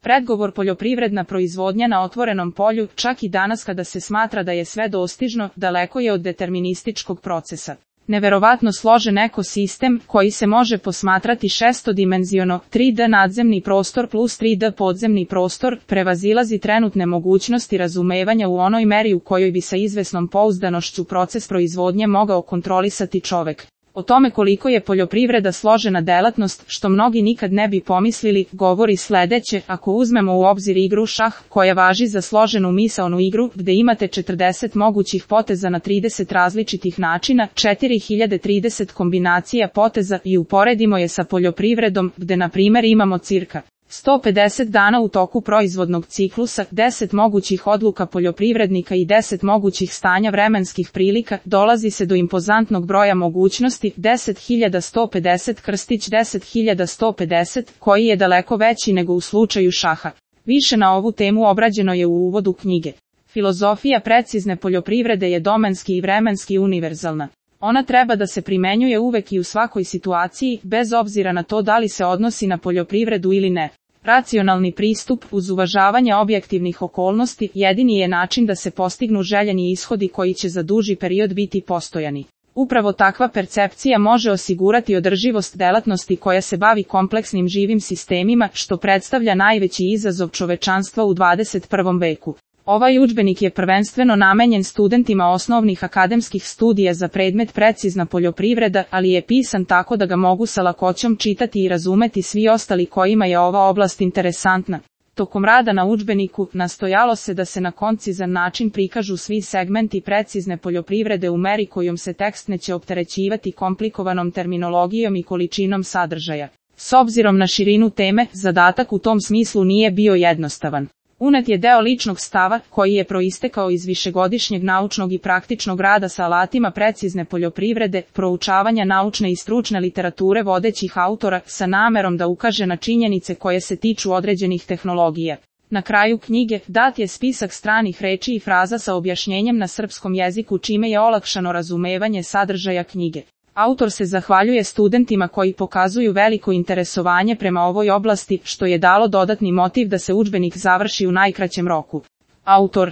Predgovor poljoprivredna proizvodnja na otvorenom polju, čak i danas kada se smatra da je sve dostižno, daleko je od determinističkog procesa. Neverovatno složen ekosistem, koji se može posmatrati šestodimenziono, 3D nadzemni prostor plus 3D podzemni prostor, prevazilazi trenutne mogućnosti razumevanja u onoj meri u kojoj bi sa izvesnom pouzdanošću proces proizvodnje mogao kontrolisati čovek. O tome koliko je poljoprivreda složena delatnost, što mnogi nikad ne bi pomislili, govori sledeće: ako uzmemo u obzir igru šah, koja važi za složenu misaonu igru, gde imate 40 mogućih poteza na 30 različitih načina, 4030 kombinacija poteza, i uporedimo je sa poljoprivredom, gde na primer imamo cirka 150 dana u toku proizvodnog ciklusa, 10 mogućih odluka poljoprivrednika i 10 mogućih stanja vremenskih prilika, dolazi se do impozantnog broja mogućnosti, 10.150 krstić 10.150, koji je daleko veći nego u slučaju šaha. Više na ovu temu obrađeno je u uvodu knjige. Filozofija precizne poljoprivrede je domenski i vremenski univerzalna. Ona treba da se primenjuje uvek i u svakoj situaciji, bez obzira na to da li se odnosi na poljoprivredu ili ne. Racionalni pristup, uz uvažavanje objektivnih okolnosti, jedini je način da se postignu željeni ishodi koji će za duži period biti postojani. Upravo takva percepcija može osigurati održivost delatnosti koja se bavi kompleksnim živim sistemima, što predstavlja najveći izazov čovečanstva u 21. veku. Ovaj udžbenik je prvenstveno namenjen studentima osnovnih akademskih studija za predmet precizna poljoprivreda, ali je pisan tako da ga mogu sa lakoćom čitati i razumeti svi ostali kojima je ova oblast interesantna. Tokom rada na udžbeniku, nastojalo se da se na koncizan način prikažu svi segmenti precizne poljoprivrede u meri kojom se tekst neće opterećivati komplikovanom terminologijom i količinom sadržaja. S obzirom na širinu teme, zadatak u tom smislu nije bio jednostavan. Unet je deo ličnog stava, koji je proistekao iz višegodišnjeg naučnog i praktičnog rada sa alatima precizne poljoprivrede, proučavanja naučne i stručne literature vodećih autora, sa namerom da ukaže na činjenice koje se tiču određenih tehnologija. Na kraju knjige, dat je spisak stranih reči i fraza sa objašnjenjem na srpskom jeziku, čime je olakšano razumevanje sadržaja knjige. Autor se zahvaljuje studentima koji pokazuju veliko interesovanje prema ovoj oblasti, što je dalo dodatni motiv da se udžbenik završi u najkraćem roku. Autor